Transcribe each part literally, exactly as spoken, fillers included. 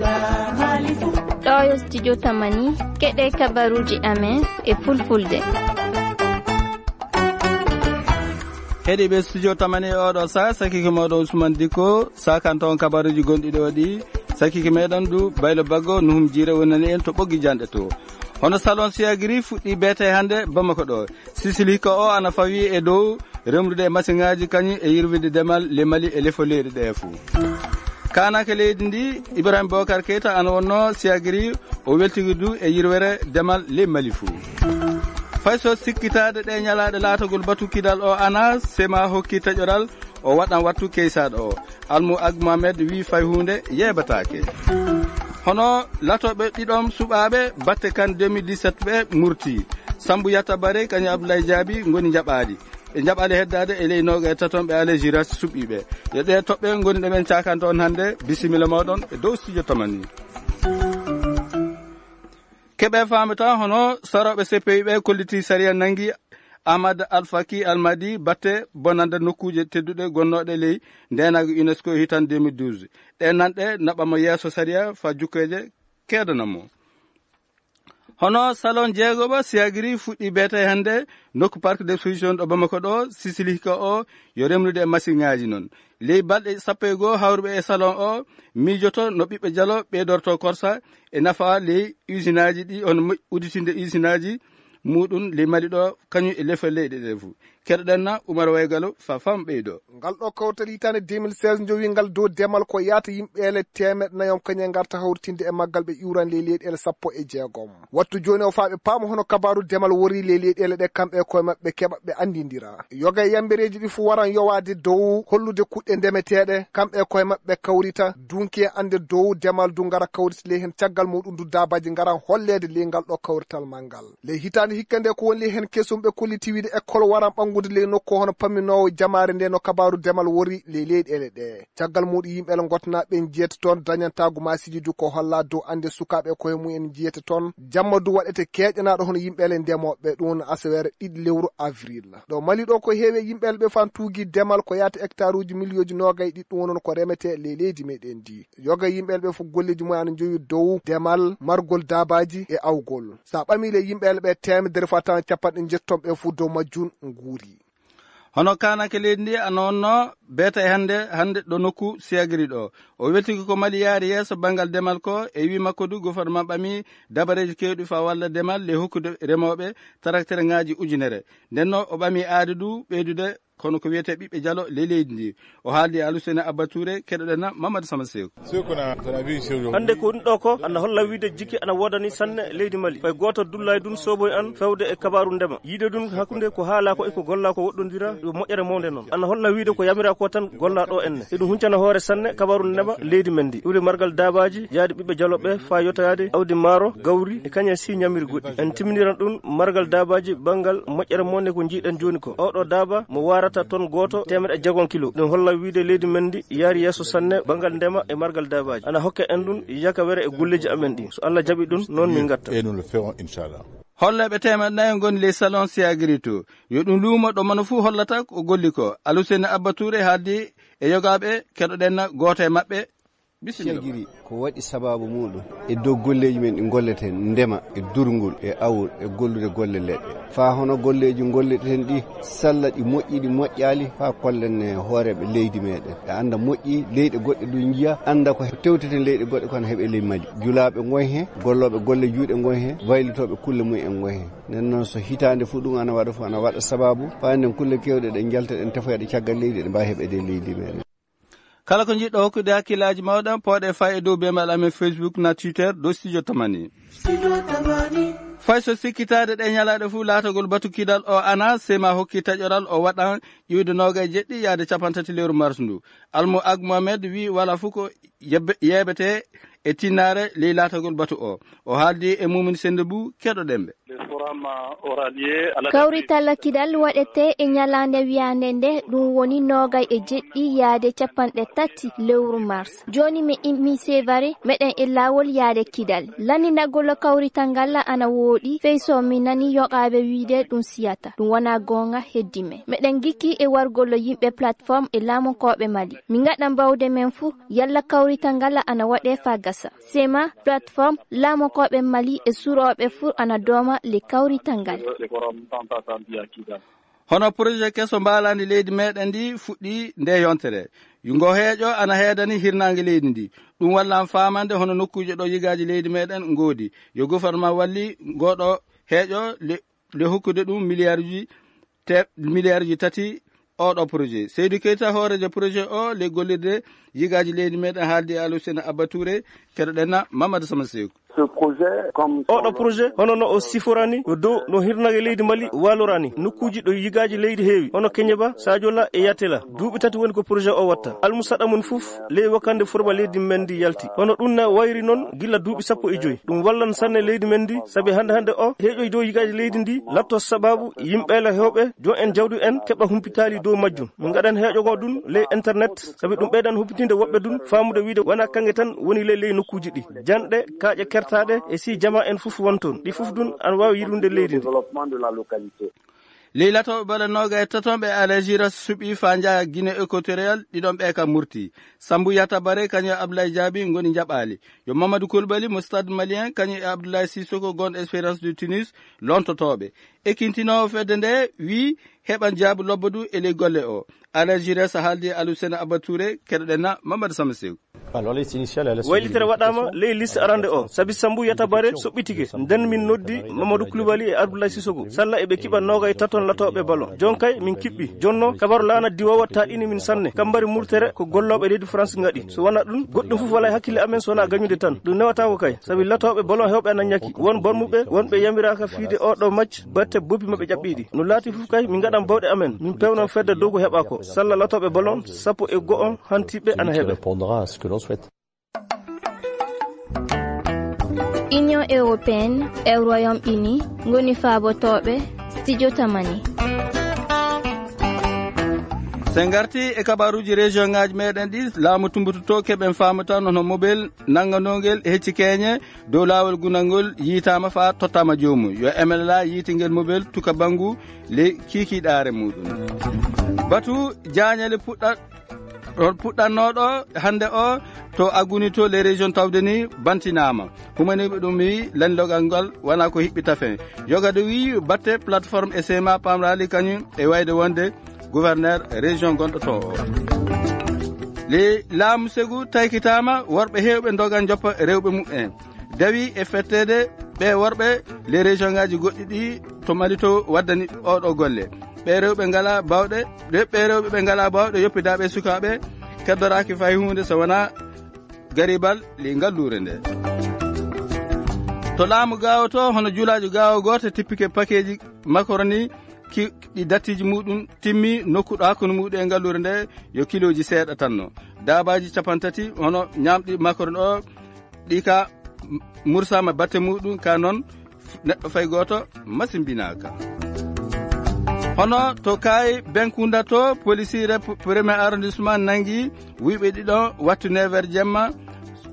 Ɗo yo studio Tamani, keɗe kabaruji amen e fulfulde. Heɗiɓe studio Tamani oɗo sa, sakiki moɗon Ousmane Diko, sakanto on kabaruji gonɗi ɗo ɗi, sakiki meɗen du Baylo Baggo, Nuhum Jire wonani en to ɓoggi janɗe to. Hono salon Siagri fuɗɗi beete hannde Bamako ɗo. Sisili ko o ana fawi e dow remrude e masiŋaaji kañum e yirwide demal le Mali e lefo leyɗe ɗe fuu. Kaanake leydi ndi, Ibrahim Bokar Keita ana wonno Siagri, o weltigi du e yirwere demal le Mali fuu. Fay so sikkitaade ɗe ñalaaɗe laatagol batu kidal o ana, Sema hokki taƴoral, o waɗan wattu keysaaɗo o. Almu Ag Mohamed wi fay huunde yeebataake. Hono latooɓe ɗiɗon suɓaaɓe batte kan deux mille dix-sept ɓe murti. Sambu Yatta Bare kañum Abdoulaye Jaabi ngoni njaɓaali. Ɓe njaɓaali heddaade e ley nooga e taton ɓe Alain Giresse suɓii ɓe. Yo ɗe toɓɓe ngoni ɗo men cakanta on hannde. Bisimilla mooɗon e dow studio Tamani. Keɓe faamata hono sarooɓe C P I ɓe kolliti sariya nangi Ahmad Al Faki Al Madi batte bonande nokkuuje tedduɗe gonnooɗe ley ndeenaagu UNESCO hitan deux mille douze. Ɗe nanɗe naɓamo yeeso sariya fa jukkeeje keedanamo. Hono salon jeegoɓo Siagri fuɗɗi beete hannde nokku parc d'exposition ɗo Bamako ɗo, Sisili ko o yo remrude e masiŋaaji noon. Ley balɗe sappo e goo hawruɓe e salon o miijoto no ɓiɓɓe jalo ɓeydorto korsa e nafa ley usinaaji ɗi, on mo-, udditinde usinaaji muɗum ley Mali ɗo, kañum e lefol leyɗe ɗe fuu. Keɗoɗen na Umar Waygalo fa fam ɓeydo. Ngal ɗo kawtal hitaande deux mille seize jowi ngal dow demal ko yaata yimɓeele teemeɗɗe nayi on kañum ngarta hawritinde e maggal ɓe iwran ley leyɗeele sappo e jeegom. Wattu jooni o faa ɓe paama hono kabaaru demal wori ley leyɗeele ɗe kamɓe e koye maɓɓe keɓa ɓe anndindira. Yoga e yambereeji ɗi fuu waran yowaade dow hollude kuɗɗe ndemeteeɗe, kamɓe e koye maɓɓe kawrita, dunki e annde dow demal du ngara kawrita ley heen caggal muɗum du daabaaji ngaran holleede ley ngal ɗo kawrital manngal. Ley hitaande hikka nde ko woni ley heen kesum ɓe kolliti wiide école waran ɓanngude ley nokku hono pamminoowo jamaare nde no kabaaru demal wori ley leyɗeele ɗe. Caggal muɗum yimɓeele ngottanaaɓe ɓen jeyata toon dañantaagu maasiiji du ko holla dow annde sukaaɓe e koye mumen jeyata toon. Jamma du waɗete keeƴanaaɗo hono yimɓeele ndemooɓe ɗum woni aseweere ɗiɗi lewru avril. Ɗo Mali ɗo ko heewi e yimɓeele ɓe fan tuugi demal ko yaata hectare uji miliyooji noogay ɗiɗi ɗum woni ko remetee ley leydi meɗen ndi. Yoga e yimɓeele ɓe fof golleeji mumen ana njowi dow demal, margol daabaaji e awgol. So a ɓamii ley yimɓeele ɓe teemedere faa tan capanɗe njetton ɓe fof dow majjum nguuri. Hono kaanake leydi ndi ana wonno beeta e hannde, hannde ɗo nokku Siagri ɗo. O weltiki ko Mali yaari yeeso banngal demal ko e wii makko du gouvernement ɓamii dabareeji keewɗi faa walla demal ley hokkude remooɓe taraktereŋaaji ujunere. Nden no o ɓamii aade du ɓeydude kono ko wiyetee ɓiɓɓe jalo ley leydi ndi. O haaldi e Aluseni Abba Touré, keɗoɗen na Mamadou Sama Seeku. Hannde ko ɗum ɗo ko ana holla wiide jikki ana woodani sanne leydi Mali. Fay gooto dullaay ɗum sooboy an fewde e kabaaru ndema. Yiide ɗum hakkunde ko haalaa ko e ko gollaa ko woɗɗondira yo moƴƴere mawnde noon. Ana holla wiide ko yamiraa ko tan gollaa ɗo enne. Eɗum huncana hoore sanne kabaaru ndema leydi men ndi. Iwde margal daabaaji, yaade ɓiɓɓe jalo ɓe faa yotaade awdi maaro, gawri e kañum si ñamiri goɗɗi. En timminiran ɗum margal daabaaji banngal moƴƴere mawnde ko njiiɗen jooni ko. Oɗo daaba mo waarata ton gooto teemeɗɗe jeegom kilo. Ɗum holla wiide leydi men ndi yaari yeeso sanne banngal ndema e margal daabaaji. Ana hokke en ɗum yakawere e golleeji amen ɗi. So Allah jaɓi ɗum, noon min ngatta. Et nous le ferons, inchallah. Holleeɓe teemeɗɗe nayi ngoni ley salon Siagri to. Yo ɗum luumo ɗo mano fuu hollata ko golli ko. Aluseni Abba Touré haaldi e yogaaɓe, keɗoɗen na gooto e maɓɓe. Bisimilla. Siagri ko waɗi sabaabu muɗum e dow golleeji men ɗi ngolleten, ndema e durngol e awol e gollude golle leɗɗe. Faa hono golleeji ngolleten ɗi, salla ɗi moƴƴi, ɗi moƴƴaali, faa kollen e hooreeɓe leydi meɗen. Ɓe annda moƴƴi, leyɗe goɗɗe du njiya, annda ko tewteten leyɗe goɗɗe kono heɓe ley Mali. Julaaɓe ngoy he, gollooɓe golle juuɗe ngoy he, waylitooɓe kulle mum en ngoy he. Nden noon so hitaande fof ɗum ana waɗa fof, ana waɗa sabaabu, faa nden kulle keewɗe ɗe njalta ɗen tefoya ɗe caggal leydi, ɗe mbaawi heɓeede e leydi meɗen. Kala ko njiɗɗo hokkude hakkillaaji mawɗa, pooɗe faa e dow beembal amen Facebook na Twitter, ɗo Studio Tamani. Fay so sikkitaade ɗe ñalaaɗe fof laatagol batu kidal o ana, Sema hokki taƴoral o waɗan ƴiwde noogay jeɗɗi yaade capanɗe tati lewru mars ndu. Almu Ag Mohamed wi wala fof ko yebbe-, yeebete e tinnaare ley laatagol batu o. O haaldi e Mumin Sennde Buu, keɗoɗen ɓe. Kawrital kidal waɗete e ñalaande wiyaande nde, ɗum woni noogay e jeɗɗi yaade capanɗe tati lewru mars. Jooni mi immii Sevare, meɗen e laawol yaade kidal. Lanndinagol kawrital ngal ana wooɗi, fey so mi nanii yoqaaɓe wiide ɗum siyata. Ɗum wonaa goonga heddi men. Meɗen ngikki e wargol yimɓe plateforme e laamunkooɓe Mali. Min ngaɗa mbawde men fuu, yalla kawrital ngal ana waɗee faa Sema, plateforme, laamokooɓe Mali e surooɓe fur ana dooma le kawrital ngal. Hono projet keso mbaalandi leydi meɗen ndi fuɗɗi nde yontere. Ngo heeƴo ana heedani hirnaange leydi ndi. Ɗum wallan faamande hono nokkuuje ɗo yigaaji leydi meɗen ngoodi. Yo gouvernement walli ngoɗo heeƴo le, le hokkude ɗum milliarduji te, milliarduji tati oɗo projet. Seydi Keita, hooreejo projet o, le gollirde yigaaji leydi meɗen, haaldi e Alusena Abba Touré, keɗoɗen na Mamadou Sama Seeku. Oɗo projet, hono no o siforani, ko dow no hirnage leydi Mali walorani. Nokkuuji ɗo yigaaji leydi heewi, hono Keñeba, Sajola e Yatela. Duuɓi tati woni ko projet o watta. Almusaɗa mum fof, ley wakande furba leydi men ndi yalti. Hono ɗum na wayri noon gila duuɓi sappo e joyi. Ɗum wallan sanne leydi men ndi, sabi hannde hannde o, heeƴoy dow yigaaji leydi ndi, latto sababu yimɓe la hewɓe, jon en jawdi en, keɓa humpitaali dow majjum. Min ngaɗan heeƴo ngo ɗum ley internet, sabi ɗum ɓeydan humpitinde woɓɓe ɗum, faamude wiide wona kaŋŋe tan woni ley, ley nokkuuji ɗi. Janɗe, kaaƴe kertaaɗe, e si jama en fof won toon. Ɗi fof ɗum ana waawi yirwinde leydi ndi. Ley latooɓe bale nooga e taton ɓe Algérie suɓi faa njaha Guinée Équatoriale, ɗiɗon ɓe ka murti. Sambu Yata Bare, kañum e Abdoulaye Diaby ngoni njaɓaali. Yo Mamadou Koulibaly mo Stade Malien, kañum e Abdoulaye Sissoko gonɗo Espérance de Tunis, lontotooɓe. Ekintinoowo fedde nde wii heɓan jaabu lobbo du e ley golle o. Algérie so haaldi e Alusena Abba Touré, keɗoɗen na Mamadou Sama Sew. Waylitere waɗaama ley liste arande o, sabi Sambu Yata Bare soɓɓitike. Nden min noddi Mamadou Koulibaly e Abdoulaye Sissoko. Salla eɓe kiɓa nooga e taton latooɓe ballon. Jon kay min kiɓɓi. Jonno kabaru laana diwoowa taɗini min sanne. Kambari murtere ko gollooɓe leydi France ngaɗi. So wona ɗum, goɗɗum fof wala e hakkille amen so wona gañude tan. Ɗum newataako kay, sabi latooɓe ballon hewɓe ana ñaki. Won barmuɓe, wonɓe yamiraaka fiide oɗo match, batte boppi maɓɓe ƴaɓɓiiɗi. No laati fof kay, min ngaɗan bawɗe amen. Min pewnan fedde dow ko heɓa ko. Salla latooɓe ballon sappo e go'o hantiɓe ana heɓe. Union Européenne e Royaume Uni ngoni faabotooɓe Studio Tamani. Sen ngarti e kabaruuji région ngaaji meɗen ɗi, laamu tumbututo keɓen faamu tan hono mobel nannganongel hecci keñe dow laawol gunal ngol yiitaama faa tottaama joomum. Yo M L A yiitingel mobel tuka banngu ley kiikiiɗaare muɗum. Batu jaañale puɗɗa-, ɗon puɗɗannooɗo hannde o to Agunito, les régions tawde ni bantinaama. Humaniiɓe ɗum wi lanndogal ngal wonaa ko hiɓɓi tafen. Yogade wi batte plateforme S M A pamraali kañum e wayde wonde gouverneur région gonɗo to o. Le laamu segu taykitaama, worɓe heewɓe ndogan joppa rewɓe muɓɓen. Dawi e fetteede ɓe worɓe le région ngaaji goɗɗi ɗi to Mali to waddani oɗo golle. Ɓe rewɓe ngala bawɗe, ɓe, ɓe rewɓe ɓe ngala bawɗe yoppidaaɓe sukaaɓe keddoraaki fay huunde so wonaa garibal le ngalluure nde. To laamu gaawo to, hono juulaajo gaawo gooto tippike pakeeji makaroni ki, ɗi dattiiji muɗum timmi nokku ɗo hakkunde muɗum e ngalluure nde yo kilooji seeɗa tanno. Daabaaji capantati hono ñaamɗi makaroni o, ɗi ka mursaama batte muɗum ka noon neɗɗo fay gooto masimbinaaka. Hono to Kaayi Benkunda to, polisiire p-, premier arrondissement nanngi wuyɓe ɗiɗo wattu neuf heures jemma,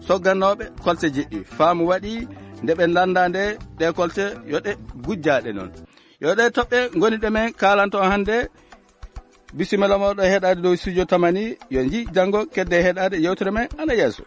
soggannooɓe kolte jeɗɗi. Faamu waɗi nde ɓe lannda nde ɗe kolte yo ɗe gujjaaɗe noon. Yo ɗe toɓɓe ngoni ɗe men kaalanto on hannde. Bisimilla mooɗon heɗaade dow studio Tamani. Yo nji janngo kedde heɗaade yewtere men ana yeeso.